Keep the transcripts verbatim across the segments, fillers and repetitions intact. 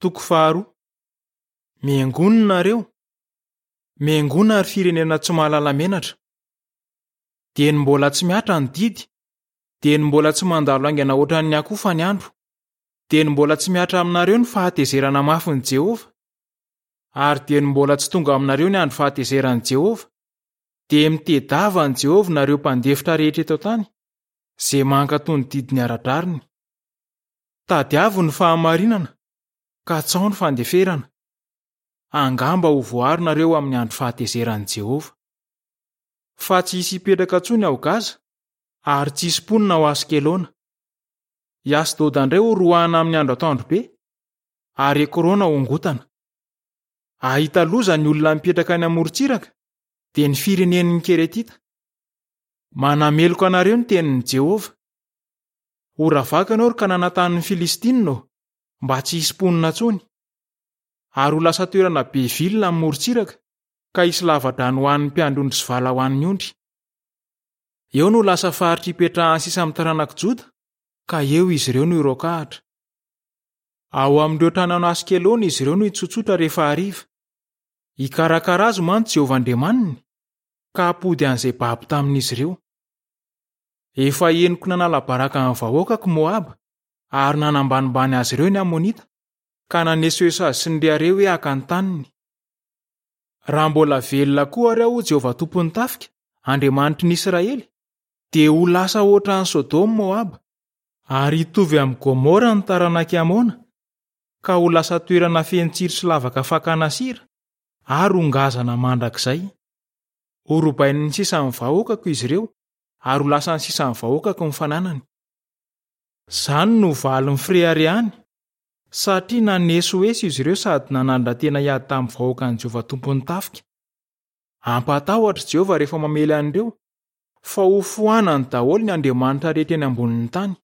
Toko faharoa. Miangona nareo. Miangona ry firenena tsy mahalala menatra. Dieny mbola tsy mihatra ny didy, dieny mbola tsy mandalo haingana ohatran'ny akofa ny andro, dieny mbola tsy mihatra aminareo ny fahatezerana mafin'i Jehovah, ary dieny mbola tsy tonga aminareo ny andro fahatezeran'i Jehovah, dia mitedava an'i Jehovah nareo mpandefitra rehetra eto an-tany, izay mankatò ny didiny ara-drariny. Tadiavo ny fahamarinana, katsao ny fandeferana. Angamba ho voaro nareo amin'ny andro fahatezeran'i Jehovah. Fa tsy hisy hipetraka intsony ao Gaza, ary tsy hisy mponina ao Askelona. I Asdoda indray ho roahana amin'ny andro atoandro be, ary Ekrona hongotana. Hahita loza ny olona mipetraka any amorontsiraka, dia ny firenen'ny Keretita. Manameloka anareo ny tenin'i Jehovah. Ho ravaka ianao ry Kanana tanin'ny Filistinina ô, mba tsy hisy mponina intsony. Ary ho lasa toerana be vilona amin'ny morontsiraka, ka hisy lava-drano ho an'ny mpiandry ondry sy vala ho an'ny ondry. Eo no lasa faritra ipetrahan'ny sisa amin'ny taranak'i Joda, ka eo izy ireo no hiroakahatra. Ao amin'ireo tranon'i Askelona izy ireo no hitsotsotra rehefa hariva. Hikarakara azy mantsy Jehovah Andriamaniny, ka hampody an'izay babo tamin'izy ireo. Efa henoko nanala baraka ny vahoakako Moaba, ary nanambanimbany azy ireo ny Amonita, ka nanesoeso azy sy nirehareha hoe haka ny taniny. Raha mbola velona koa ary aho, Jehovah tompon'ny tafika, Andriamanitry ny Israely, dia ho lasa ohatran'i Sodoma Moaba, ary hitovy amin'i Gomora ny taranak'i Amona, ka ho lasa toerana feno tsiro sy lavaka fakana sira, ary ho ngazana mandrakizay. Ho robain'ny sisan'ny vahoakako izy ireo, ary ho lasan'ny sisan'ny vahoakako ny fananany. Izany no valin'ny fireharehany, satria nanesoeso izy ireo sady nanandra-tena hiady tamin'ny vahoakan'i Jehovah tompon'ny tafika. Hampatahotra Jehovah rehefa mamely an'ireo, fa ho foanany daholo ny andriamanitra rehetra eny ambonin'ny tany.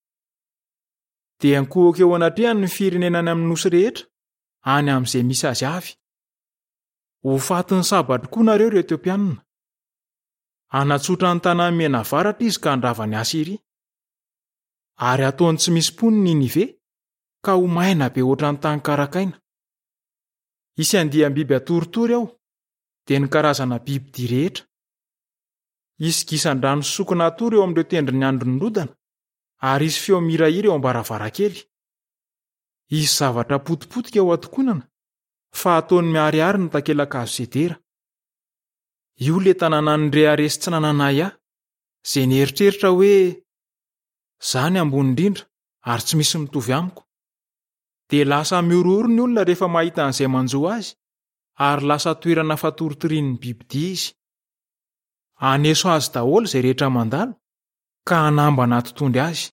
Dia ankohoka eo anatrehany ny firenena any amin'ny nosy rehetra, any amin'izay misy azy avy. Ho fatin'ny sabatra koa nareo ry Etiopianina. Hanatsotra ny tanàn'i Mianavaratra izy ka handrava an'i Asyria. Ary hataony tsy misy mponina i Ninive, ka ho maina be ohatran'ny tany karakaina. Hisy andiam-biby hatoritory ao, dia ny karazana bibidia rehetra. Hisy gisan-drano sy sokina hatory eo amin'ireo tendron'ny andron'ny rodana, ary hisy feo mihirahira eo am-baravarankely. Hisy zavatra potipotika ao an-tokonana, fa hataony miharihary ny takelaka hazo sedera. Io ilay tanàna nirehareha sy tsy nanana ahiahy, izay nieritreritra hoe izaho ny ambony indrindra ary tsy misy mitovy amiko. Dia lasa mihorohoro ny olona rehefa mahita an'izay manjo azy, ary lasa toerana fatoritorian'ny bibidia izy. Haneso azy daholo izay rehetra mandalo, ka hanambana tontondry azy.